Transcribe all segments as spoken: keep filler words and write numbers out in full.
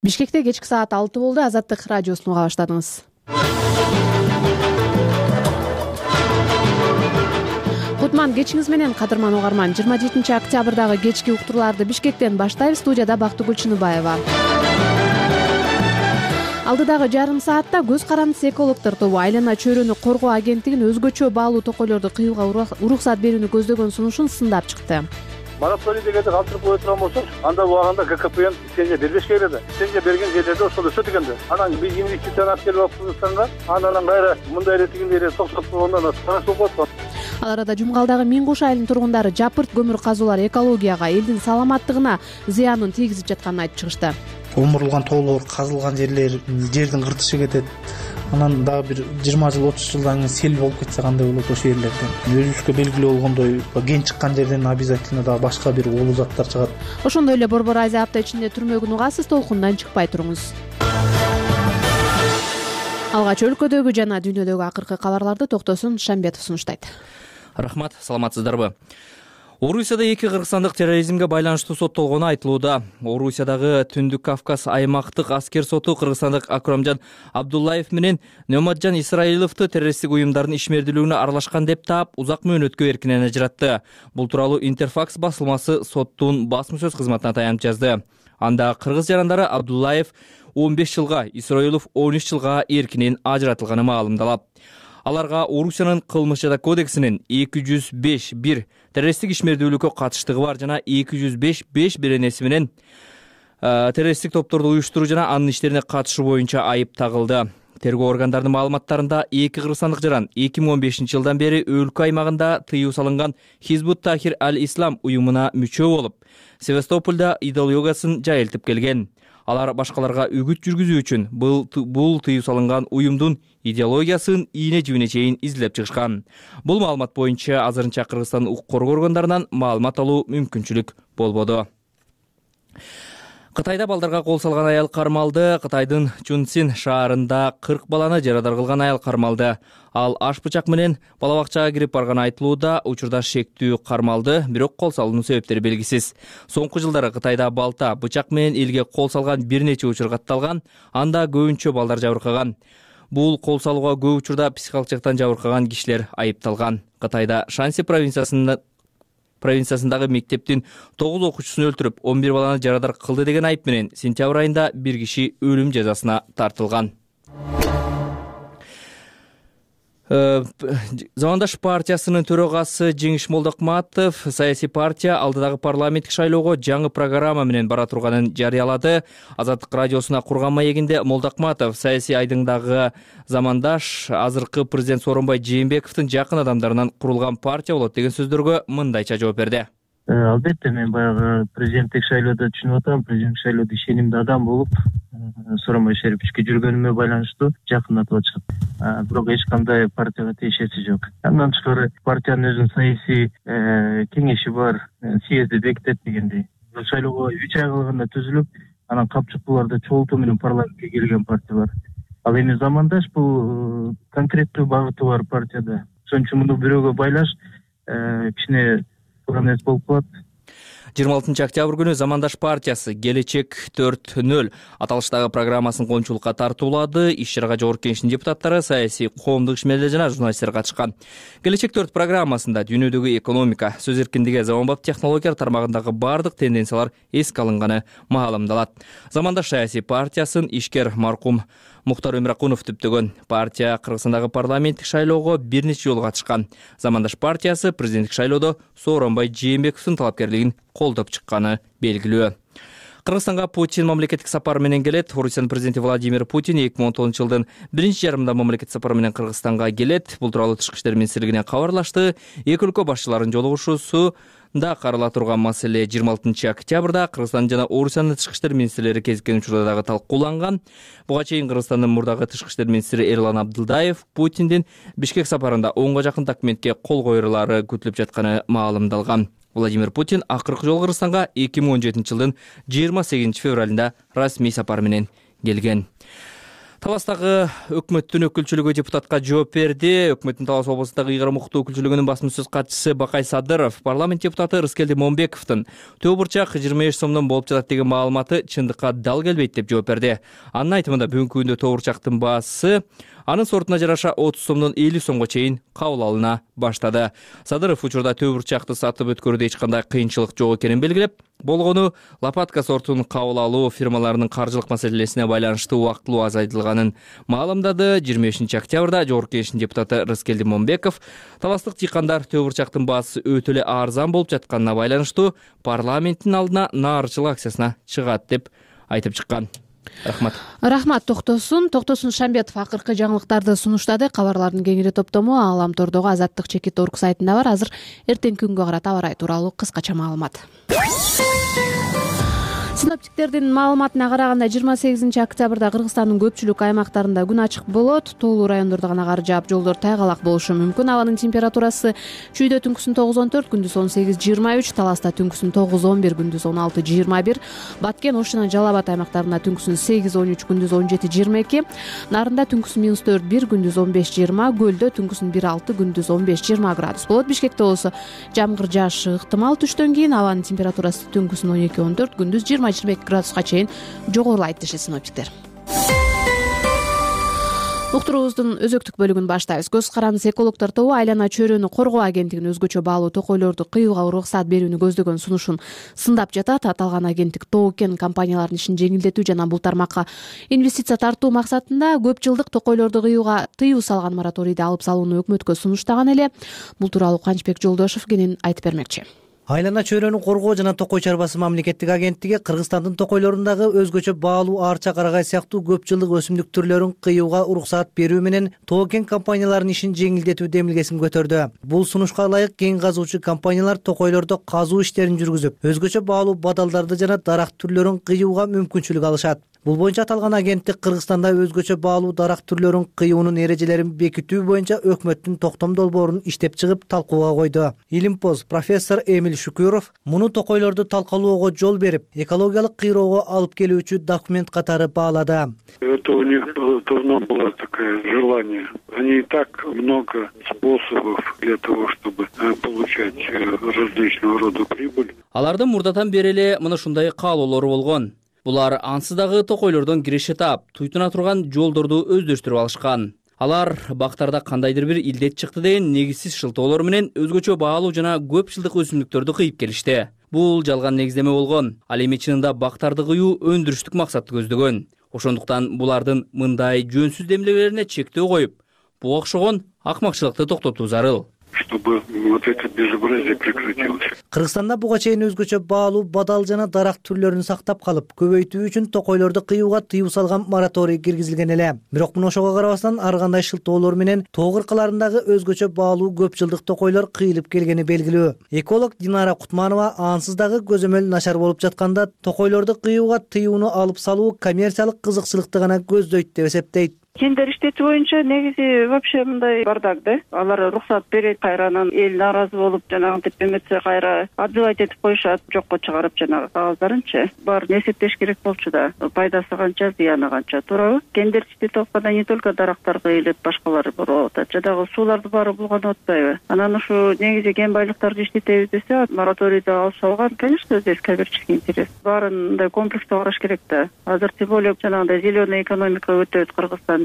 Бишкекте кечки саат алты болду. Азаттык радиосун уга баштадыңыз. Кутман кечиңиз менен, кадырман угарман. жыйырма жетинчи октябрдагы кечки уктурууларды Бишкектен баштайбыз. Студияда Бактыгүл Чыныбаева. Алдыдагы жарым саатта көз карандысы экологдор тобу айлана чөйрөнү коргоо агенттигинин өзгөчө баалуу токойлорду кыюуга уруксат берүүнү көздөгөн сунушун сындап чыкты. Мораторий дегенди калтырып кое турган болсок, анда убагында ККПН лицензия бербеш керек эле. Лицензия берген жерлерде ошол өсөт экен да. Анан биз инвестицияны алып келип алып Кыргызстанга, анан кайра мындай эле тигиндей эле токсоп койгондон тарас болуп калат. Ал арада Жумгалдагы Миң Куш айылынын тургундары жапырт көмүр казуулар экологияга, элдин саламаттыгына зыянын тийгизип жатканын айтып чыгышты. Омурулган тоолор, казылган жерлер, жердин кыртышы кетет. Анан дагы бир жыйырма жыл, отуз жылдан кийин сел болуп кетсе кандай болот ошол жерлерден. Өзүбүзгө белгилүү болгондой, кен чыккан жерден обязательно дагы башка бир уулуу заттар чыгат. Ошондой эле Борбор Азия апта ичинде түрмөгүн угасыз, толкундан чыкпай туруңуз. Алгач өлкөдөгү жана дүйнөдөгү акыркы кабарларды Токтосун Шамбетов сунуштайт. Рахмат, саламатсыздарбы? Орусияда эки кыргызстандык терроризмге байланыштуу соттолгону айтылууда. Орусиядагы Түндүк Кавказ аймактык аскер соту Кыргызстандык Акрамжан Абдуллаев менен Номаджан Исраиловду террористтик уюмдардын ишмердүүлүгүнө аралашкан деп таап, узак мөөнөткө эркинен ажыратты. Бул тууралуу Интерфакс басылмасы соттун басма сөз кызматына таянып жазды. Анда кыргыз жарандары Абдуллаев он беш жылга, Исраилов он үч жылга эркинен ажыратылганы маалымдалат. Аларга Орусиянын кылмыш жада кодексинин эки жүз беш бир террористтик ишмердүүлүккө катыштыгы бар жана эки жүз беш беш беренеси менен террористтик топторду уюштуруу жана анын иштерине катышуу боюнча айып тагылды. Тергөө органдарынын маалыматтарында эки кыргызстандык жаран эки миң он бешинчи жылдан бери өлкө аймагында тыюу салынган Хизбут Тахир аль-Ислам уюмуна мүчө болуп, Севастопольда идеологиясын жайылтып келген. Алар башкаларга үгүт жүргүзүү үчүн бул бул тыюу салынган уюмдун идеологиясын ийне жибине чейин изилеп чыгышкан. Бул маалымат боюнча азырынча Кыргызстандын укук коргоо органдарынан маалымат алуу мүмкүнчүлүк болбоду. Кытайда балдарга кол салган аял кармалды. Кытайдын Чунцин шаарында кырк баланы жарадар кылган аял кармалды. Ал аш бычак менен бала бакчага кирип барганы айтылууда. Учурда шектүү кармалды, бирок кол салуунун себептери белгисиз. Соңку жылдары Кытайда балта, бычак менен элге кол салган бир нече учур катталган. Анда көбүнчө балдар жабыркаган. Бул кол салууга көп учурда психикалык жактан жабыркаган кишилер айыпталган. Кытайда Шанси провинциясында провинциясындагы мектептин тогуз окуучусун өлтүрүп, он бир баланы жарадар кылды деген айып менен сентябрь айында бир киши өлүм жазасына тартылган. Замандаш партиясынын төрагасы Жеңиш Молдокматов саясий партия алдыдагы парламенттик шайлоого жаңы программа менен бара турганын жарыялады. Азаттык радиосуна курган маегинде Молдокматов саясий айдыңдагы Замандаш азыркы президент Сооронбай Жээнбековдун жакын адамдарынан курулган партия болот деген сөздөргө мындайча жооп берди. Албетте, мен баягы президенттик шайлоодо түшүнүп атам, президенттик шайлоодо ишенимдүү адам болуп, Сооронбай Шериповичке жүргөнүмө байланыштуу жакындатып атышат. Бирок эч кандай партияга тиешеси жок. Андан тышкары партиянын өзүнүн саясий кеңеши бар, съезди бекитет дегендей. Бул шайлоого үч ай калганда түзүлүп, анан капчыктууларды чогултуу менен парламентке келген партия бар. Ал эми Замандаш бул конкреттүү багыты бар партияда. Ошон үчүн муну бирөөгө байлаш кичине эмес болуп калат. жыйырма алтынчы октябрь күнү Замандаш партиясы Келечек төрт нөл аталыштагы программасын коомчулукка тартуулады. Иш-чарага жогорку кеңештин депутаттары, саясий коомдук ишмерлер жана журналисттер катышкан. Келечек төрт программасында дүйнөдөгү экономика, сөз эркиндиги, заманбап технологиялар тармагындагы бардык тенденциялар эске алынганы маалымдалат. Замандаш саясий партиясын ишкер маркум Мухтар Өмүракунов түптөгөн. Партия Кыргызстандагы парламенттик шайлоого бир нече жолу катышкан. Замандаш партиясы президенттик шайлоодо Сооронбай Жээнбековдун талапкерлигин колдоп чыкканы белгилүү. Кыргызстанга Путин мамлекеттик сапар менен келет. Орусиянын президенти Владимир Путин эки миң он тогузунчу жылдын биринчи жарымында мамлекеттик сапар менен Кыргызстанга келет. Бул тууралуу Тышкы иштер министрлигинен кабарлашты. Эки өлкө башчыларынын жолугушуусу да карала турган маселе жыйырма алтынчы октябрда Кыргызстан жана Орусиянын тышкы иштер министрлери кезиккен учурда дагы талкууланган. Буга чейин Кыргызстандын мурдагы тышкы иштер министри Эрлан Абдылдаев Путиндин Бишкек сапарында онго жакын документке кол коюлары күтүлүп жатканы маалымдалган. Владимир Путин акыркы жолу Кыргызстанга эки миң он жетинчи жылдын жыйырма сегизинчи февралында расмий сапар менен келген. Таластагы өкмөттүн өкүлчүлүгү депутатка жооп берди. Өкмөттүн Талас облусундагы ыйгарым укуктуу өкүлчүлүгүнүн басма сөз катчысы Бакай Садыров парламент депутаты Рыскелди Момбековдун төө бурчак жыйырма беш сомдон болуп жатат деген маалыматы чындыкка дал келбейт деп жооп берди. Анын айтымында бүгүнкү күндө төө бурчактын баасы анын сортуна жараша отуз сомдон элүү сомго чейин кабыл алына баштады. Садыров учурда төө бурчакты сатып өткөрүүдө эч кандай кыйынчылык жок экенин белгилеп, болгону лопатка сортун кабыл алуу фирмаларынын каржылык маселесине байланыштуу убактылуу азайтылганын маалымдады. жыйырма бешинчи октябрда Жогорку Кеңештин депутаты Рыскелди Момбеков таластык дыйкандар төө бурчактын баасы өтө эле арзан болуп жатканына байланыштуу парламенттин алдына наарычылык акциясына чыгат деп айтып чыккан. Рахмат. Рахмат. Токтосун Токтосун Шамбетов акыркы жаңылыктарды сунуштады. Кабарлардын кеңири топтому Аламтордогу Азаттык чекит орг сайтында бар. Азыр эртеңки күнгө карата аба ырайы тууралуу кыскача маалымат. Синоптиктердин маалыматына караганда жыйырма сегизинчи октябрда Кыргызстандын көпчүлүк аймактарында күн ачык болот. Тоолуу райондордо гана кар жаап, жолдор тайгалак болушу мүмкүн. Абанын температурасы чүйдө түнкүсүн тогуз он төрт, күндүз он сегиз жыйырма үч, Таласта түнкүсүн тогуз он бир, күндүз он алты жыйырма бир, Баткен, Ош жана Жалал Абад аймактарында түнкүсүн сегиз он үч, күндүз он жети жыйырма эки, Нарында түнкүсүн минус төрт бир, күндүз он беш жыйырма, Көлдө түнкүсүн бир алты, күндүз он беш жыйырма градус болот. Бишкекте болсо жамгыр жаашы ыктымал түштөн кийин. Абанын температурасы түнкүсүн он эки он төрт, күндүз жыйырма жыйырма эки градуска чейин жогорулайт дешет синоптиктер. Уктуруубуздун өзөктүк бөлүгүн баштайбыз. Көз карандысы экологдор тобу айлана чөйрөнү коргоо агенттигинин өзгөчө баалуу токойлорду кыюуга уруксат берүүнү көздөгөн сунушун сындап жатат. Аталган агенттик тоо кен компаниялардын ишин жеңилдетүү жана бул тармакка инвестиция тартуу максатында көп жылдык токойлорду кыюуга тыюу салган мораторийди алып салууну өкмөткө сунуштаган эле. Бул тууралуу Канчбек Жолдошов кенен айтып бермекчи. Айлана чөйрөнү коргоо жана токой чарбасы мамлекеттик агенттиги Кыргызстандын токойлорундагы өзгөчө баалуу арча, карагай сыяктуу көп жылдык өсүмдүк түрлөрүн кыюуга уруксаат берүү менен тоо кен компанияларынын ишин жеңилдетүү демилгесин көтөрдү. Бул сунушка ылайык кен казуучу компаниялар токойлордо казуу иштерин жүргүзүп, өзгөчө баалуу бадалдарды жана дарак түрлөрүн кыюуга мүмкүнчүлүк алышат. Бул боюнча аталган агенттик Кыргызстанда өзгөчө баалуу дарак түрлөрүн кыюунун эрежелерин бекитүү боюнча өкмөттүн токтом долбоорун иштеп чыгып талкууга койду. Илимпоз профессор Эмиль Шукуров муну токойлорду талкалоого жол берип, экологиялык кыйроого алып келүүчү документ катары баалады. Это у них давно было такое желание. Они и так много способов для того, чтобы получать различного рода прибыль. Алардын мурдатан бери эле мына ушундай каалоолору болгон. Булар ансыз дагы токойлордон киреше таап, туйтуна турган жолдорду өздөштүрүп алышкан. Алар бактарда кандайдыр бир илдет чыкты деген негизсиз шылтоолор менен өзгөчө баалуу жана көп жылдык өсүмдүктөрдү кыйып келишти. Бул жалган негиздеме болгон. Ал эми чынында бактарды кыюу өндүрүштүк максатты көздөгөн. Ошондуктан булардын мындай жөнсүз демилгелерине чектөө коюп, буга окшогон акмакчылыкты токтотуу зарыл. Чтобы вот это безобразие прекратилось. Кыргызстанда буга чейин өзгөчө баалуу бадал жана дарак түрлөрүн сактап калып, көбөйтүү үчүн токойлорду кыюуга тыюу салган мораторий киргизилген эле. Бирок мына ошого карабастан ар кандай шылтоолор менен тоо кыркаларындагы өзгөчө баалуу көп жылдык токойлор кыйылып келгени белгилүү. Эколог Динара Кутманова ансыз дагы көзөмөл начар болуп жатканда токойлорду кыюуга тыюуну алып салуу коммерциялык кызыкчылыкты гана көздөйт деп эсептейт. Тендер иштетүү боюнча негизи вообще мындай бардак да. Алар уруксат берет, кайранан эл нааразы болуп, жанагынтип эметсе кайра отзывать этип коюшат, жокко чыгарып жанагы кагаздырынчы. Баарын эсептеш керек болчу да. Пайдасы канча, зыяны канча, туурабы? Тендер иштетип атканда не только дарактар кыйылып, башкалары болуп атат. Жадагы сууларды баары булганып атпайбы? Анан ушу негизи кен байлыктарды иштетебиз десе, мораторийди алып салган, конечно, здесь коммерческий интерес. Баарын мындай комплекстүү караш керек да. Азыр тем более жанагындай зеленый экономика өтөт Кыргызстанда.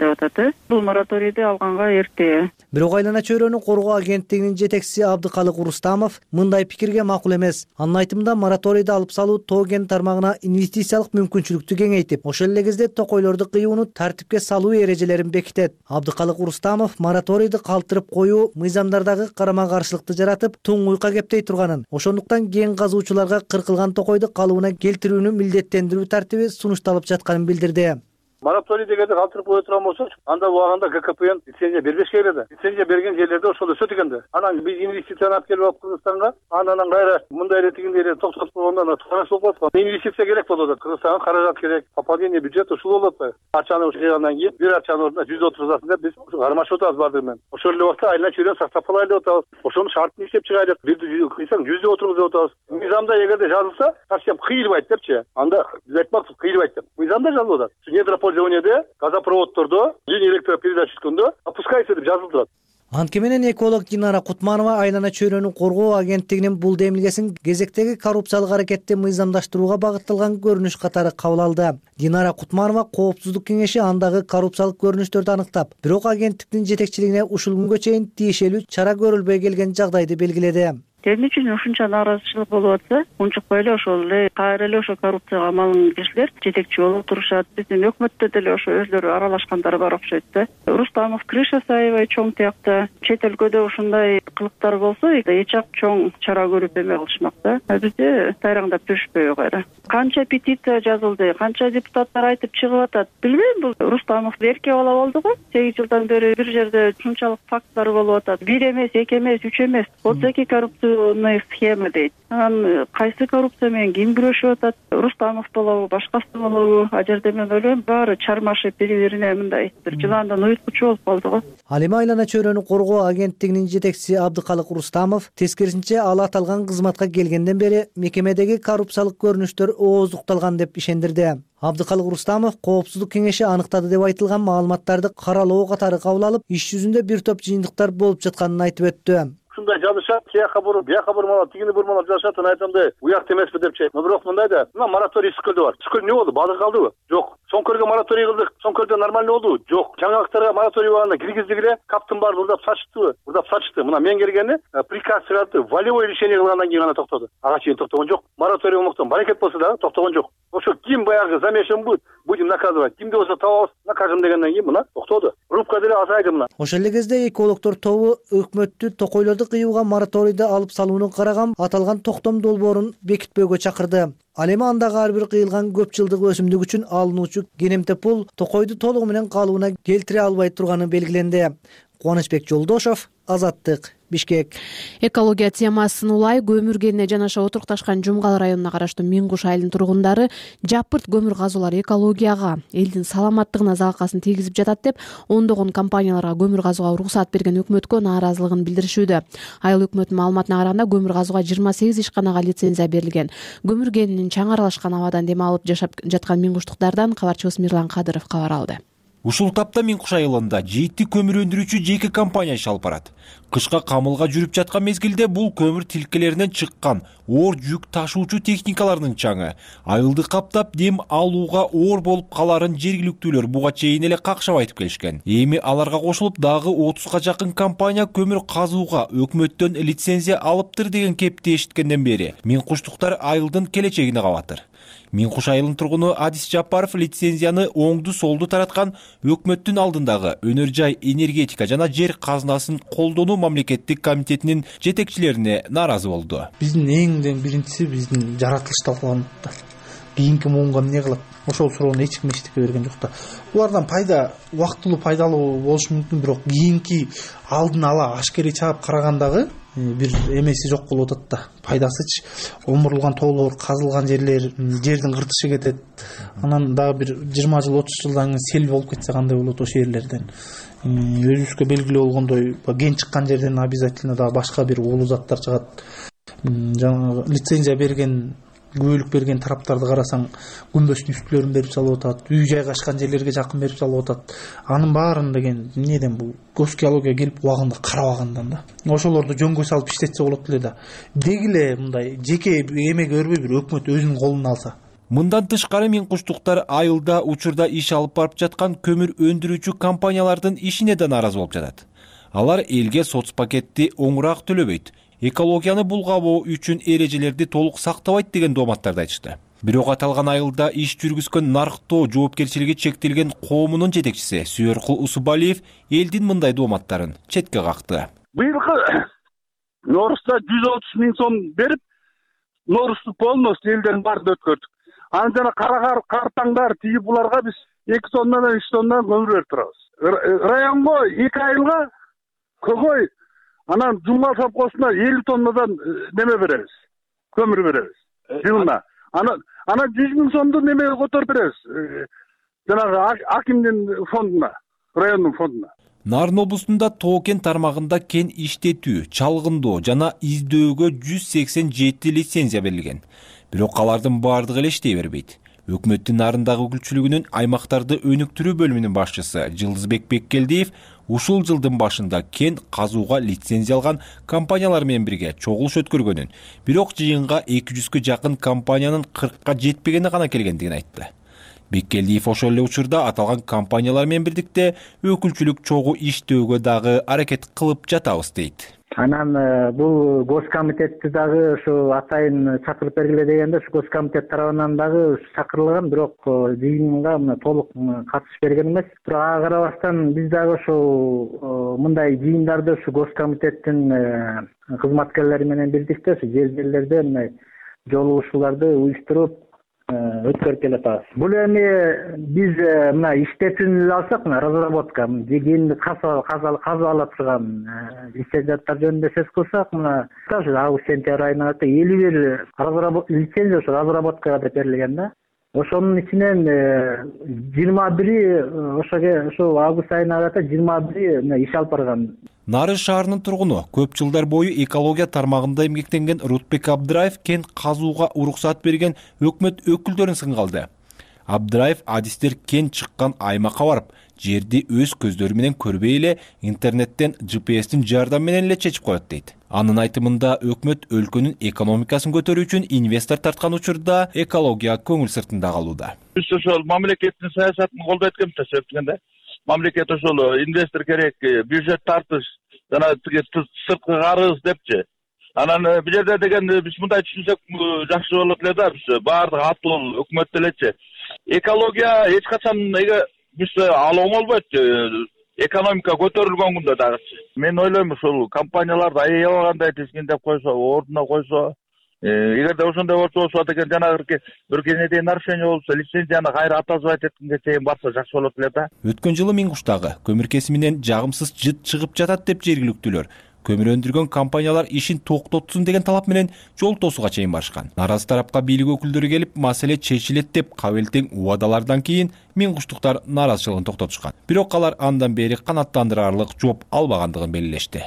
Бул мораторийди алганга эрте. Бирок айлана чөйрөнү коргоо агенттигинин жетекчиси Абдыкалык Урустамов мындай пикирге макул эмес. Анын айтымында мораторийди алып салуу тоо кен тармагына инвестициялык мүмкүнчүлүктү кеңейтип, ошол эле кезде токойлорду кыюуну тартипке салуу эрежелерин бекитет. Абдыкалык Урустамов мораторийди калтырып коюу мыйзамдардагы карама каршылыкты жаратып, туңгуйка кептей турганын, ошондуктан кен казуучуларга кыркылган токойду калыбына келтирүүнү милдеттендирүү тартиби сунушталып жатканын билдирди. Мораторий дегенди калтырып кое турган болсочу, анда убагында ГКПН лицензия бербешке келеди. Лицензия берген жерлерде ошол өсөт экенди. Анан биз инвестицияны алып келип алып Кыргызстанга, анан кайра мындай эле тигиндей эле токтотуп койгондон туура болуп атат. Инвестиция керек болуп атат. Кыргызстанга каражат керек, пополнение бюджета ушул болуп атпайбы? Акчаны жыйгандан кийин бир акчанын ордуна жүз отурузасын деп биз кармашып атабыз баардыгы менен. Ошол эле убакта айлана чөйрөнү сактап калайлы деп атабыз. Ошонун шартын иштеп чыгайлы. Бирди кыйсаң жүздү отургуз деп атабыз. Мыйзамда эгерде жазылса, совсем кыйылбайт депчи. Анда биз айтмакчыбыз кыйылбайт деп. Мыйзамда жазылып атат. Недропол использованияда газопроводдордо линия электропередач өткөндө опускайся деп жазылып турат. Анткени менен эколог Динара Кутманова айлана чөйрөнү коргоо агенттигинин бул демилгесин кезектеги коррупциялык аракетти мыйзамдаштырууга багытталган көрүнүш катары кабыл алды. Динара Кутманова коопсуздук кеңеши андагы коррупциялык көрүнүштөрдү аныктап, бирок агенттиктин жетекчилигине ушул күнгө чейин тиешелүү чара көрүлбөй келген жагдайды белгиледи. Эмне үчүн ушунча нааразычылык болуп атса, унчукпай эле ошол эле кайра эле ошо коррупцияга амалын кишилер жетекчи болуп турушат. Биздин өкмөттө деле ошо өзлөрү аралашкандар бар окшойт да. Рустамов, Крыша Саева чоң тиякта чет өлкөдө ушундай кылыктар болсо, эч ак чоң чара көрүп эме кылышмак да. Бизде тайраңдап жүрүшпөйбү кайра. Канча петиция жазылды, канча депутаттар айтып чыгып атат. Билбейм, бул Рустамов эрке бала болду го. сегиз жылдан бери бир жерде ушунчалык факттар болуп атат. Бир эмес, эки эмес, үч эмес. Отзеки коррупция схема дейт. Анан кайсы коррупция менен ким күрөшүп атат? Рустамов болобу, башкасы болобу? А жерде мен ойлойм, баары чармашып бири-бирине мындай бир жыландан уйуткучу болуп калды го. Ал эми айлана чөйрөнү коргоо агенттигинин жетекчиси Абдыкалык Рустамов тескерисинче ал аталган кызматка келгенден бери мекемедеги коррупциялык көрүнүштөр ооздукталган деп ишендирди. Абдыкалык Рустамов коопсуздук кеңеши аныктады деп айтылган маалыматтарды каралоо катары кабыл алып, иш жүзүндө бир топ жыйынтыктар болуп жатканын айтып өттү. Ушундай жазышат, тияка буруп, бияка бурмалап, тигини бурмалап жазышат, анан айтамда, уякты эмеспи депчи. Бирок мындай да, мына мораторий Скөлдө бар. Скөл эмне болду? Балык калдыбы? Жок. Соңкөргө мораторий кылдык. Соңкөрдө нормально болдубу? Жок. Жаңалыктарга мораторий болгондо киргиздик эле, каптын баарын урдап сачтыбы? Урдап сачты. Мына мен келгени приказ чыгарды, волевой решение кылгандан кийин гана токтоду. Ага чейин токтогон жок. Мораторий болмоктон баракет болсо да токтогон жок. Ошо ким баягы замешан будет, будем наказывать. Кимди болсо табабыз, накажем дегенден кийин мына токтоду. Рубка деле азайды мына. Ошол эле кезде экологдор тобу өкмөттү токойлорду кыюуга мораторийди алып салууну караган аталган токтом долбоорун бекитпөөгө чакырды. Ал эми андагы ар бир кыйылган көп жылдык өсүмдүк үчүн алынуучу кенемте пул токойду толугу менен калыбына келтире албай турганы белгиленди. Кубанычбек Жолдошов, Азаттык, Бишкек. Экология темасын улай көмүр кенине жанаша отурукташкан Жумгал районуна караштуу Миң Куш айылынын тургундары жапырт көмүр казуулар экологияга, элдин саламаттыгына залалкасын тийгизип жатат деп ондогон компанияларга көмүр казууга уруксаат берген өкмөткө нааразылыгын билдиришүүдө. Айыл өкмөтүнүн маалыматына караганда көмүр казууга жыйырма сегиз ишканага лицензия берилген. Көмүр кенинин чаң аралашкан абадан дем алып жашап жаткан Миң Куштуктардан кабарчыбыз Мирлан Кадыров кабар алды. Ушул тапта Миң Куш айылында жети көмүр өндүрүүчү жеке компания иш алып барат. Кышка камылга жүрүп жаткан мезгилде бул көмүр тилкелеринен чыккан оор жүк ташуучу техникалардын чаңы айылды каптап дем алууга оор болуп каларын жергиликтүүлөр буга чейин эле какшап айтып келишкен. Эми аларга кошулуп дагы отузга жакын компания көмүр казууга өкмөттөн лицензия алыптыр деген кепти эшиткенден бери Миң Куштуктар айылдын келечегине кабатыр. Миң Куш айылынын тургуну Адис Жапаров лицензияны оңду солду тараткан өкмөттүн алдындагы өнөр жай энергетика жана жер казынасын колдонуу мамлекеттик комитетинин жетекчилерине нааразы болду. Биздин эңден биринчиси биздин жаратылыш талкаланып, кийинки муунга эмне кылат? Ошол суроону эч ким эчтеке берген жок да. Булардан пайда убактылуу пайдалуу болушу мүмкүн, бирок кийинки алдын ала ашкерей чаап карагандагы бир эмеси жок болуп атат да. Пайдасычы омурулган тоолор, казылган жерлер, жердин кыртышы кетет. Анан дагы бир жыйырма жыл, отуз жылдан кийин сел болуп кетсе кандай болот ошол жерлерден? Өзүбүзгө белгилүү болгондой, ген чыккан жерден обязательно дагы башка бир уулуу заттар чыгат. Жанагы лицензия берген, күбөлүк берген тараптарды карасаң, күмбөздүн үстүлөрүн берип салып атат, үй жайгашкан жерлерге жакын берип салып атат. Анын баарын деген эмнеден бул госгеология келип убагында карабагандан да. Ошолорду жөнгө салып иштетсе болот эле да. Дегиле мындай жеке эмеге өрбөй бир өкмөт өзүнүн колуна алса. Мындан тышкары Миң Куштуктар айылда учурда иш алып барып жаткан көмүр өндүрүүчү компаниялардын ишине да нааразы болуп жатат. Алар элге соц пакетти оңураак төлөбөйт, экологияны булгабоо үчүн эрежелерди толук сактабайт деген дооматтарды айтышты. Бирок аталган айылда иш жүргүзгөн нарктоо жоопкерчилиги чектелген коомунун жетекчиси Сүйөркул Усубалиев элдин мындай дооматтарын четке какты. Быйылкы Норузда жүз отуз миң сом берип, Норузду полностью элдердин баарын өткөрдүк. Анан жана кара картаңдар тиги буларга биз эки тоннадан үч тоннадан көмүр берип турабыз. Районго эки айылга көгөй, анан Жумгал совхозуна элүү тоннадан неме беребиз, көмүр беребиз жылына. Анан анан жүз миң сомду немеге которуп беребиз, жанагы акимдин фондуна, райондун фондуна. Нарын облусунда тоо кен тармагында кен иштетүү, чалгындоо жана издөөгө жүз сексен жети лицензия берилген. Бирок алардын баардыгы эле иштей бербейт. Өкмөттүн нарындагы өкүлчүлүгүнүн аймактарды өнүктүрүү бөлүмүнүн башчысы Жылдызбек Беккелдиев ушул жылдын башында кен казууга лицензия алган компаниялар менен бирге чогулуш өткөргөнүн, бирок жыйынга эки жүзгө жакын компаниянын кыркка жетпегени гана келгендигин айтты. Беккелдиев ошол эле учурда аталган компаниялар менен бирдикте өкүлчүлүк чогуу иштөөгө дагы аракет кылып жатабыз дейт. Анан бул Госкомитетти дагы ушу атайын чакырып бергиле дегенде ушу Госкомитет тарабынан дагы чакырылган, бирок жыйынга мына толук катышып берген эмес. Бирок ага карабастан биз дагы ушул мындай жыйындарды ушу Госкомитеттин кызматкерлери менен бирдикте ушу жер жерлерде мындай жолугушууларды уюштуруп өткөрүп келатабыз. Бул эми биз мына иштетүүнү эле алсак, мына разработка, кенди казып ала турган лицензияттар жөнүндө сөз кылсак, мына ошо август сентябрь айына элүү бир лицензия ошо разработкага деп берилген да. Ошонун ичинен жыйырма бири ошо август айына карата жыйырма бири иш алып барган. Нарын шаарынын тургуну, көп жылдар бою экология тармагында эмгектенген Рутбек Абдыраев кен казууга уруксат берген өкмөт өкүлдөрүн сынга алды. Абдыраев адистер кен чыккан аймакка барып, жерди өз көздөрү менен көрбөй эле интернеттен джи пи эстин жардамы менен эле чечип коет дейт. Анын айтымында өкмөт өлкөнүн экономикасын көтөрүү үчүн инвестор тарткан учурда экология көңүл сыртында калууда. Биз ошол мамлекеттин саясатын колдойт экенбиз да, себептен мамлекет ошол инвестор керек, бюджет тартыш, жана тиги сырткы карыз депчи. Анан бул жерде деген биз мындай түшүнсөк жакшы болот эле да, биз баардык атыл өкмөт делечи. Экология эч качан биз ал оңолбойт. Экономика көтөрүлгөн күндө дагы. Мен ойлойм ушул компанияларды аябагандай тизгиндеп койсо, ордуна койсо, эгерде ошондой болсо деген жанагы бир кенедей нарушение болсо, лицензияны кайра атазбайт эткенге чейин барса жакшы болот эле да. Өткөн жылы Миңкуштагы көмүр кесиминен жагымсыз жыт чыгып жатат деп жергиликтүүлөр көмүр өндүргөн компаниялар ишин токтотсун деген талап менен жол тосууга чейин барышкан. Наразы тарапка бийлик өкүлдөрү келип, маселе чечилет деп кабыл-тең убадалардан кийин миңкуштуктар наразычылыгын токтотушкан. Бирок алар андан бери канааттандырарлык жооп албагандыгын белгилешти.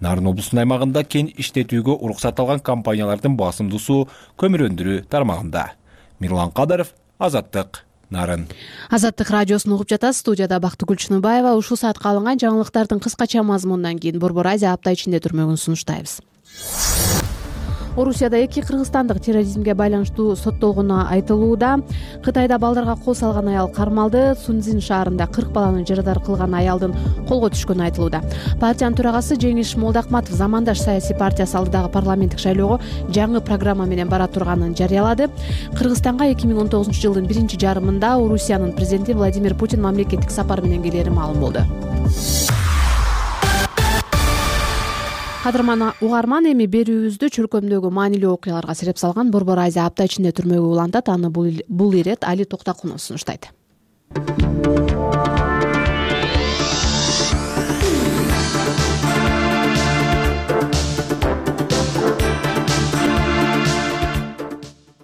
Нарын облусунун аймагында кен иштетүүгө уруксат алган компаниялардын басымдуусу көмүр өндүрүү тармагында. Мирлан Кадаров, Азаттык, Нарын. Азаттык радиосун угуп жатасыз. Студияда Бактыгүл Чыныбаева. Ушул саатка алынган жаңылыктардын кыскача мазмунунан кийин Борбор Азия апта ичинде түрмөгүн сунуштайбыз. Орусияда эки кыргызстандык терроризмге байланыштуу соттолгону айтылууда. Кытайда балдарга кол салган аял кармалды. Сунцзин шаарында кырк баланы жарадар кылган аялдын колго түшкөнү айтылууда. Партиянын төрагасы Жеңиш Молдакматов замандаш саясий партиясы алдыдагы парламенттик шайлоого жаңы программа менен бара турганын жарыялады. Кыргызстанга эки миң он тогузунчу жылдын биринчи жарымында Орусиянын президенти Владимир Путин мамлекеттик сапар менен келери маалым болду. Кадырман угарман, эми берүүбүздү чөлкөмдөгү маанилүү окуяларга сереп салган Борбор Азия апта ичинде түрмөгө улантат. Аны бул ирет Али Токтакунов сунуштайт.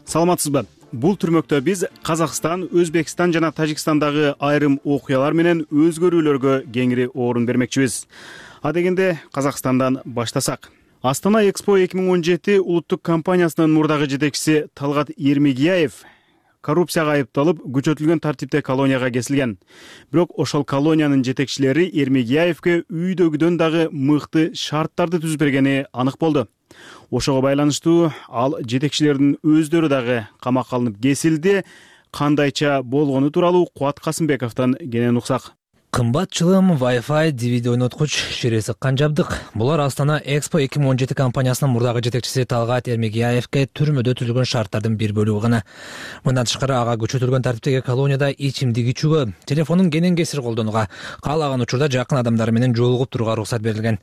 Саламатсызбы? Бул түрмөктө биз Казакстан, Өзбекстан жана Тажикстандагы айрым окуялар менен өзгөрүүлөргө кеңири орун бермекчибиз. А дегенде Казакстандан баштасак. Астана Экспо эки миң он жети улуттук компаниясынын мурдагы жетекчиси Талгат Эрмегияев коррупцияга айыпталып, күчөтүлгөн тартипте колонияга кесилген. Бирок ошол колониянын жетекчилери Эрмегияевге үйдөгүдөн дагы мыкты шарттарды түзүп бергени анык болду. Ошого байланыштуу ал жетекчилердин өздөрү дагы камакка алынып кесилди. Кандайча болгону тууралуу Кубат Касымбековдон кенен уксак. Кымбат чылым, Wi-Fi, ди ви ди ойноткуч, шире сыккан жабдык. Булар Астана Экспо эки миң он жети компаниясынын мурдагы жетекчиси Талгат Эрмегияевге түрмөдө түзүлгөн шарттардын бир бөлүгү гана. Мындан тышкары ага күчөтүлгөн тартиптеги колонияда ичимдик ичүүгө, телефонун кенен кесир колдонууга, каалаган учурда жакын адамдары менен жолугуп турууга уруксат берилген.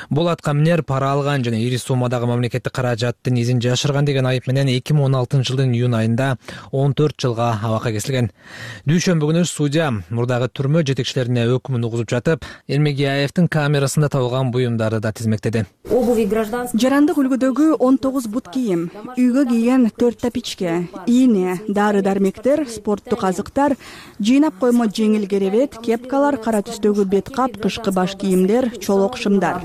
Бул аткаминер пара алган жана ири суммадагы мамлекеттик каражаттын изин жашырган деген айып менен эки миң он алтынчы жылдын июнь айында он төрт жылга абакка кесилген. Дүйшөмбү күнү судья мурдагы түрмө жетекчилеринин берүүсүнө өкүмүн угузуп жатып, Эрмегияевдин камерасында табылган буюмдарды да тизмектеди. Жарандык үлгүдөгү он тогуз бут кийим, үйгө кийген төрт тапичке, ийне, дары-дармектер, спорттук азыктар, жыйнап коймо жеңил керебет, кепкалар, кара түстөгү бет кап, кышкы баш кийимдер, чолок шымдар.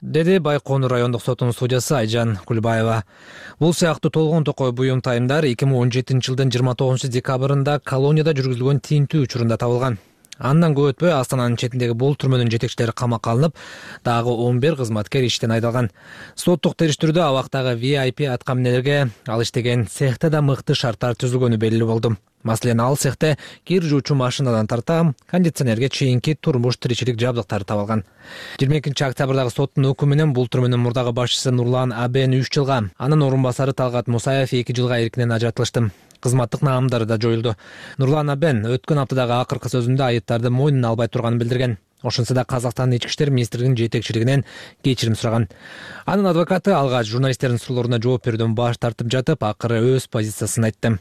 Деди Байконур райондук сотунун судьясы Айжан Кулбаева. Бул сыяктуу толгон токой буюм тайымдар эки миң он жетинчи жылдын жыйырма тогузунчу декабрында колонияда жүргүзүлгөн тинтүү учурунда табылган. Андан көп өтпөй Астананын четиндеги бул түрмөнүн жетекчилери камакка алынып, дагы он бир кызматкер иштен айдалган. Соттук териштирүүдө абактагы ви ай пи аткаминелерге ал иштеген цехте да мыкты шарттар түзүлгөнү белгилүү болду. Маселен, ал цехте кир жуучу машинадан тарта кондиционерге чейинки турмуш тиричилик жабдыктары табылган. жыйырма экинчи октябрдагы соттун өкүмү менен бул түрмөнүн мурдагы башчысы Нурлан Абен үч жылга, анын орун басары Талгат Мусаев эки жылга эркинен ажыратылышты. Кызматтык наамдары да жоюлду. Нурлан Абен өткөн аптадагы акыркы сөзүндө айыптарды мойнуна албай турганын билдирген. Ошентсе да Казакстандын ички иштер министрлигинин жетекчилигинен кечирим сураган. Анын адвокаты алгач журналисттердин суроолоруна жооп берүүдөн баш тартып жатып, акыры өз позициясын айтты.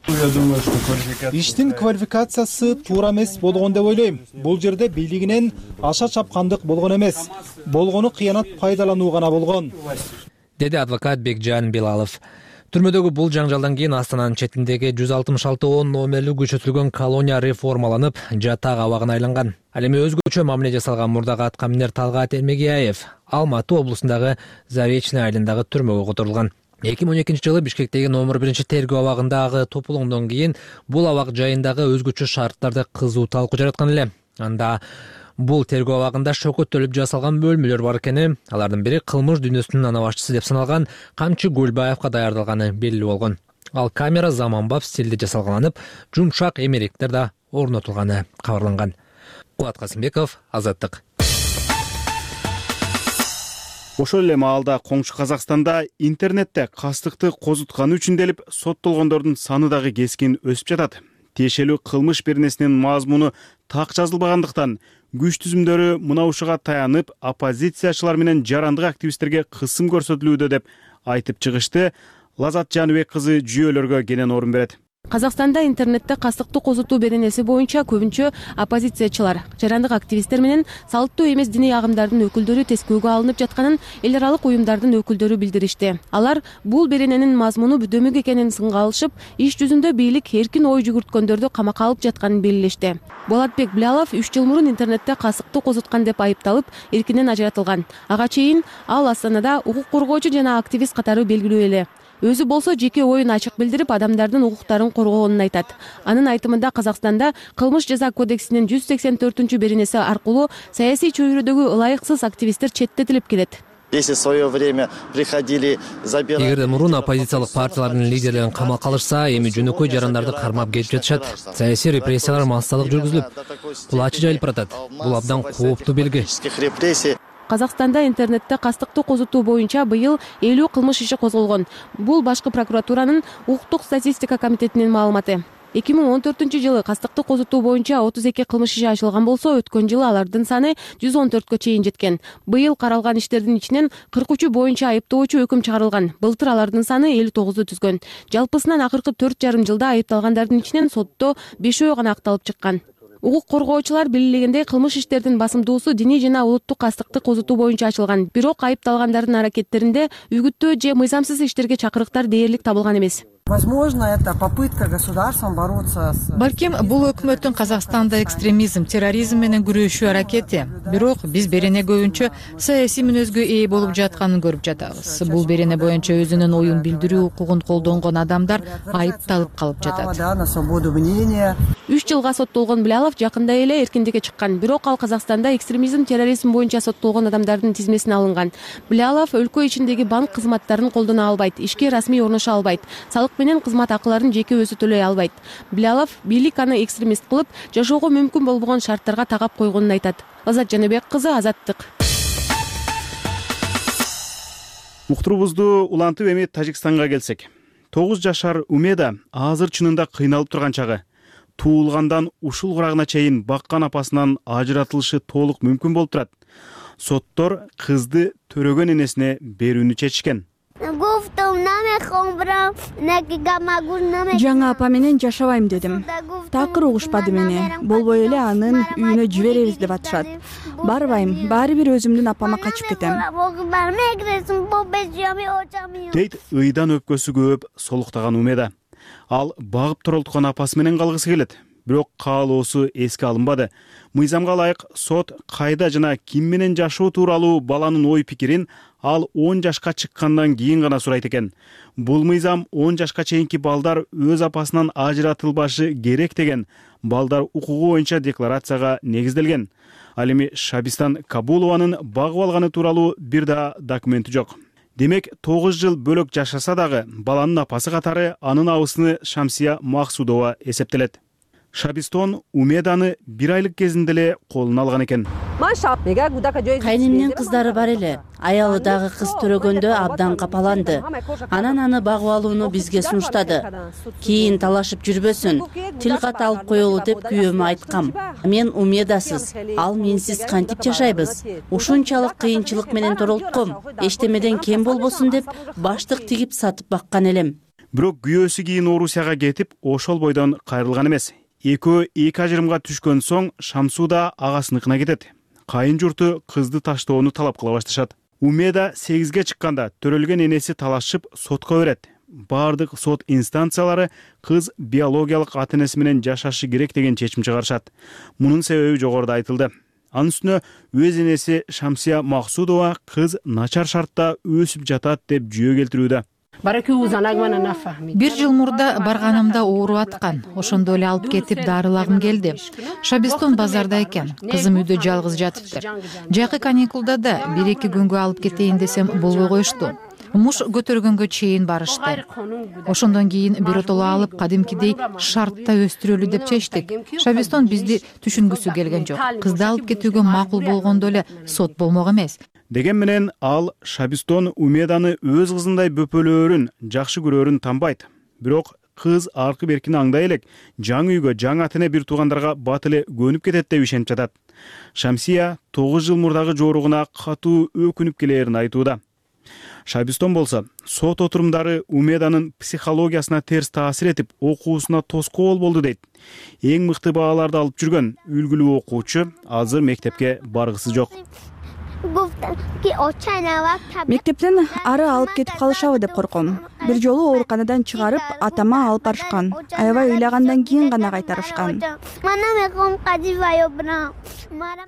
Иштин квалификациясы туура эмес болгон деп ойлойм. Бул жерде бийлигинен аша чапкандык болгон эмес. Болгону кыянат пайдалануу гана болгон, деди адвокат Бекжан Белалов. Түрмөдөгү бул жаңжалдан кийин Астананын четиндеги жүз алтымыш алты он номерлүү күчөтүлгөн колония реформаланып, жатак абагына айланган. Ал эми өзгөчө мамиле жасалган мурдагы аткаминер Талгат Эрмегияев Алматы облусундагы Заречный айылындагы түрмөгө которулган. эки миң он экинчи жылы Бишкектеги номер биринчи тергөө абагындагы топулоңдон кийин бул абак жайындагы өзгөчө шарттарды кызуу талкуу жараткан эле. Анда бул тергөө абагында шөкөттөлүп жасалган бөлмөлөр бар экени, алардын бири кылмыш дүйнөсүнүн ана башчысы деп саналган Камчы Гүлбаевка даярдалганы белгилүү болгон. Ал камера заманбап стилде жасалганып, жумшак эмеректер да орнотулганы кабарланган. Кубат Касымбеков, Азаттык. Ошол эле маалда коңшу Казакстанда интернетте кастыкты козутканы үчүн делип соттолгондордун саны дагы кескин өсүп жатат. Тиешелүү кылмыш беренесинин мазмуну так жазылбагандыктан күч түзүмдөрү мына ушуга таянып, оппозициячылар менен жарандык активисттерге кысым көрсөтүлүүдө деп айтып чыгышты. Лазат Жаныбек кызы жүйөлөргө кенен орун берет. Казакстанда интернетте кастыктуу козутуу беренеси боюнча көбүнчө оппозициячылар, жарандык активисттер менен салттуу эмес диний агымдардын өкүлдөрү тескөөгө алынып жатканын эл аралык уюмдардын өкүлдөрү билдиришти. Алар бул берененин мазмуну бүдөмүк экенин сынга алышып, иш жүзүндө бийлик эркин ой жүгүрткөндөрдү камакка алып жатканын белгилешти. Болотбек Билалов үч жыл мурун интернетте кастыктуу козуткан деп айыпталып, эркинен ажыратылган. Ага чейин ал Астанада укук коргоочу жана активист катары белгилүү эле. Өзү болсо жеке оюн ачык билдирип, адамдардын укуктарын коргоонун айтат. Анын айтымында Казакстанда кылмыш жаза кодексинин жүз сексен төртүнчү беренеси аркылуу саясий чөйрөдөгү ылайыксыз активисттер четтетилип келет. Если в свое время приходили забирать... Эгерде мурун оппозициялык партиялардын лидерлерин камакка алышса, эми жөнөкөй жарандарды кармап кетип жатышат. Саясий репрессиялар массалык жүргүзүлүп, бул ачы жайылып баратат. Бул абдан кооптуу белги. Казакстанда интернетте кастыктуу козутуу боюнча быйыл элүү кылмыш иши козголгон. Бул башкы прокуратуранын укуктук статистика комитетинин маалыматы. эки миң он төртүнчү жылы кастыктуу козутуу боюнча отуз эки кылмыш иши ачылган болсо, өткөн жылы алардын саны жүз он төрткө чейин жеткен. Быйыл каралган иштердин ичинен кырк үчү боюнча айыптоочу өкүм чыгарылган. Былтыр алардын саны элүү тогузду түзгөн. Жалпысынан акыркы төрт жарым жылда айыпталгандардын ичинен сотто бешөө гана акталып чыккан. Укук коргоочулар белгилегендей, кылмыш иштердин басымдуусу диний жана улуттук кастыкты козутуу боюнча ачылган. Бирок айыпталгандардын аракеттеринде үгүттөө же мыйзамсыз иштерге чакырыктар дээрлик табылган эмес. Возможно, это попытка государством бороться с... Балким, бул өкмөттүн Казакстанда экстремизм, терроризм менен күрөшүү аракети. Бирок биз берене көбүнчө саясий мүнөзгө ээ болуп жатканын көрүп жатабыз. Бул берене боюнча өзүнүн оюн билдирүү укугун колдонгон адамдар айыпталып калып жатат. На свободу мнения. үч жылга соттолгон Билалов жакында эле эркиндикке чыккан. Бирок ал Казакстанда экстремизм, терроризм боюнча соттолгон адамдардын тизмесине алынган. Билалов өлкө ичиндеги банк кызматтарын колдоно албайт, ишке расмий орношо албайт, салык менен кызмат акыларын жеке өзү төлөй албайт. Билалов бийлик аны экстремист кылып, жашоого мүмкүн болбогон шарттарга тагап койгонун айтат. Лазат Жаныбек кызы, Азаттык. Уктурубузду улантып эми Тажикстанга келсек. тогуз жашар Умеда азыр чынында кыйналып турган чагы. Туулгандан ушул курагына чейин баккан апасынан ажыратылышы толук мүмкүн болуп турат. Соттор кызды төрөгөн энесине берүүнү чечишкен. жаңы апа менен жашабайм дедим. Такыр угушпады мени. Болбой эле анын үйүнө жиберебиз деп атышат. Барбайм, баары бир өзүмдүн апама качып кетем. Дейт ыйдан өпкөсү көп солуктаган Умеда. Ал багып турулткан апасы менен калгысы келет. Бирок каалоосу эске алынбады. Мыйзамга ылайык сот кайда жана ким менен жашоо тууралуу баланын ой пикирин ал он жашка чыккандан кийин гана сурайт экен. Бул мыйзам он жашка чейинки балдар өз апасынан ажыратылбашы керек деген балдар укугу боюнча декларацияга негизделген. Ал эми Шабистан Кабулованын багып алганы тууралуу бир да документи жок. Демек, тогуз жыл бөлөк жашаса дагы баланын апасы катары анын абысыны Шамсия Максудова эсептелет. Шабистон Умеданы бир айлык кезинде эле колуна алган экен. Кайнымдын кыздары бар эле. Аялы дагы кыз төрөгөндө абдан капаланды. Анан аны багып алууну бизге сунуштады. Кийин талашып жүрбөсүн, тил кат алып коелу деп күйөөмө айткам. Мен Умедасыз, ал менсиз кантип жашайбыз? Ушунчалык кыйынчылык менен торолтком. Эчтемеден кем болбосун деп баштык тигип сатып баккан элем. Бирок күйөөсү кийин Орусияга кетип, ошол бойдон кайрылган эмес. Экөө эки ажырымга түшкөн соң Шамсуда агасыныкына кетет. Кайын журту кызды таштоону талап кыла башташат. Умеда сегизге чыкканда төрөлгөн энеси талашып сотко берет. Бардык сот инстанциялары кыз биологиялык ата-энеси менен жашашы керек деген чечим чыгарышат. Мунун себеби жогоруда айтылды. Анын үстүнө өз энеси Шамсия Максудова кыз начар шартта өсүп жатат деп жүйө келтирүүдө. Бир жыл мурда барганымда ооруп аткан. Ошондо эле алып кетип дарылагым келди. Шабистон базарда экен. Кызым үйдө жалгыз жатыптыр. Жакы каникулда да бир-эки күнгө алып кетейин десем болбой коюшту. Муш көтөргөнгө чейин барышты. Ошондон кийин биротоло алып кадимкидей шартта өстүрөлү деп чечтик. Шабистон бизди түшүнгүсү келген жок. Кызды алып кетүүгө макул болгондо эле сот болмок эмес. Деген менен ал Шабистон Умеданы өз кызындай бөпөлөөрүн, жакшы көрөөрүн танбайт. Бирок кыз аркы беркини аңдай элек, жаңы үйгө, жаңы ата-эне бир туугандарга бат эле көнүп кетет деп ишенип жатат. Шамсия тогуз жыл мурдагы жооругуна катуу өкүнүп келээрин айтууда. Шабистон болсо, сот отурумдары Умеданын психологиясына терс таасир этип, окуусуна тоскоол болду дейт. Эң мыкты бааларды алып жүргөн үлгүлүү окуучу азыр мектепке баргысы жок. Мектептен ары алып кетип калышабы деп корком. Бир жолу ооруканадан чыгарып, атама алып барышкан. Аябай ыйлагандан кийин гана кайтарышкан.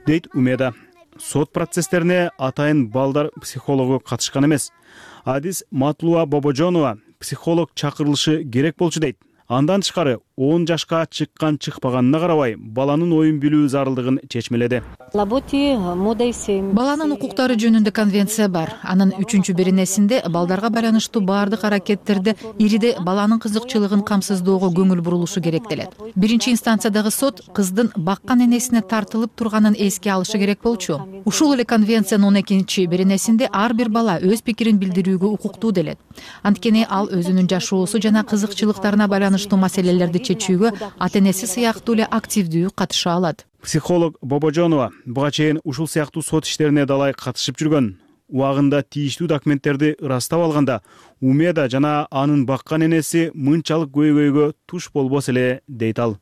Дейт Умеда. Сот процесстерине атайын балдар психологу катышкан эмес. Адис Матлуа Бобожонова психолог чакырылышы керек болчу дейт. Андан тышкары он жашка чыккан чыкпаганына карабай баланын оюн билүү зарылдыгын чечмеледи. Баланын укуктары жөнүндө конвенция бар. Анын үчүнчү беренесинде балдарга байланыштуу баардык аракеттерде ириде баланын кызыкчылыгын камсыздоого көңүл бурулушу керектелет. Биринчи инстанциядагы сот кыздын баккан энесине тартылып турганын эске алышы керек болчу. Ушул эле конвенциянын он экинчи беренесинде ар бир бала өз пикирин билдирүүгө укуктуу делет. Анткени ал өзүнүн жашоосу жана кызыкчылыктарына байланыштуу маселелерди чечүүгө ата-энеси сыяктуу эле активдүү катыша алат. Психолог Бобожонова буга чейин ушул сыяктуу сот иштерине далай катышып жүргөн. Убагында тийиштүү документтерди ырастап алганда Умеда жана анын баккан энеси мынчалык көйгөйгө туш болбос эле дейт ал.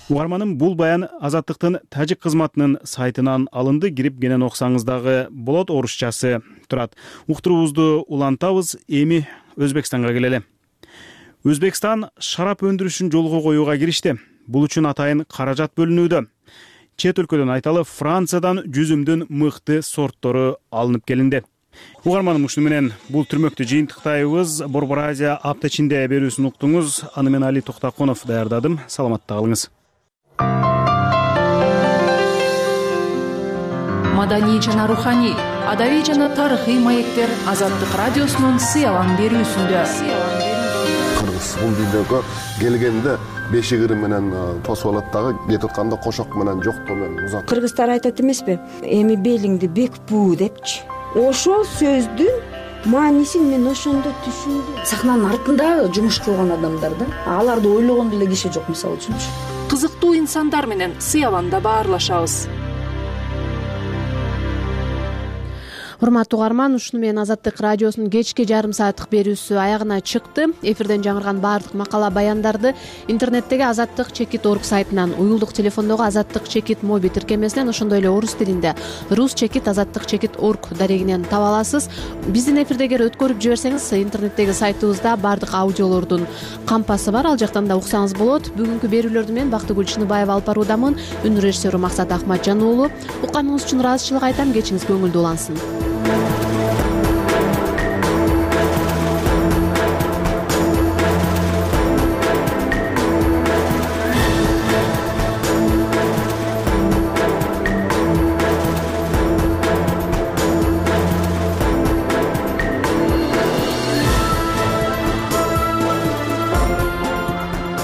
Угарманым, бул баян Азаттыктын тажик кызматынын сайтынан алынды. Кирип кенен окусаңыз дагы болот, орусчасы турат. Уктуруубузду улантабыз, эми Өзбекстанга келели. Өзбекстан шарап өндүрүшүн жолго коюуга киришти. Бул үчүн атайын каражат бөлүнүүдө. Чет өлкөдөн айталы Франциядан жүзүмдүн мыкты сорттору алынып келинди. Угарманым, ушуну менен бул түрмөктү жыйынтыктайбыз. Борбор Азия апта ичинде берүүсүн уктуңуз. Аны мен Али Токтаконов даярдадым. Саламатта калыңыз. Маданий жана руханий, адабий жана тарыхый маектер Азаттык радиосунун сыялан берүүсүндө. Кыргыз бул видеого келгенде бешигири менен тосуп алат дагы, кетип атканда кошок менен жоктоо менен узат. Кыргыздар айтат эмеспи? Эми белиңди бекпүү депчи. Ошол сөздүн маанисин мен ошондо түшүндүм. Сахнанын артында жумуш кылган адамдар да, аларды ойлогон деле киши жок, мисалы үчүнчү. Кызыктуу инсандар менен сыяланда баарлашабыз. урматтуу угарман, ушуну менен Азаттык радиосунун кечки жарым сааттык берүүсү аягына чыкты. Эфирден жаңырган баардык макала баяндарды интернеттеги азаттык чекит орг сайтынан, уюлдук телефондогу азаттык чекит моби тиркемесинен, ошондой эле орус тилинде рус чекит азаттык чекит орг дарегинен таба аласыз. Биздин эфирди эгер өткөрүп жиберсеңиз, интернеттеги сайтыбызда баардык аудиолордун кампасы бар, ал жактан да уксаңыз болот. Бүгүнкү берүүлөрдү мен Бактыгүл Чыныбаева алып баруудамын. Үн режиссеру Максат Ахматжан уулу. Укканыңыз үчүн ыраазычылык айтам. Кечиңиз көңүлдүү улансын.